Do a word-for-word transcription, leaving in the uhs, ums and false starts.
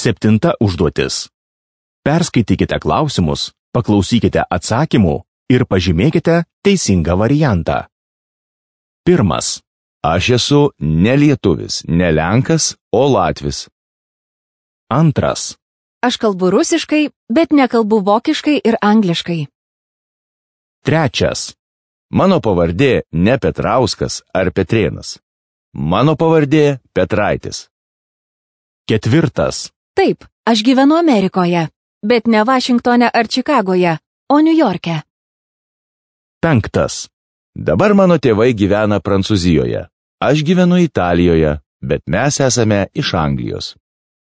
Septinta užduotis. Perskaitykite klausimus, paklausykite atsakymų ir pažymėkite teisingą variantą. Pirmas. Aš esu ne lietuvis, ne lenkas, o latvis. Antras. Aš kalbu rusiškai, bet nekalbu vokiškai ir angliškai. Trečias. Mano pavardė ne Petrauskas ar Petrėnas. Mano pavardė Petraitis. Ketvirtas. Taip, aš gyvenu Amerikoje, bet ne Vašingtone ar Čikagoje, o Niujorke. Penktas. Dabar mano tėvai gyvena Prancūzijoje. Aš gyvenu Italijoje, bet mes esame iš Anglijos.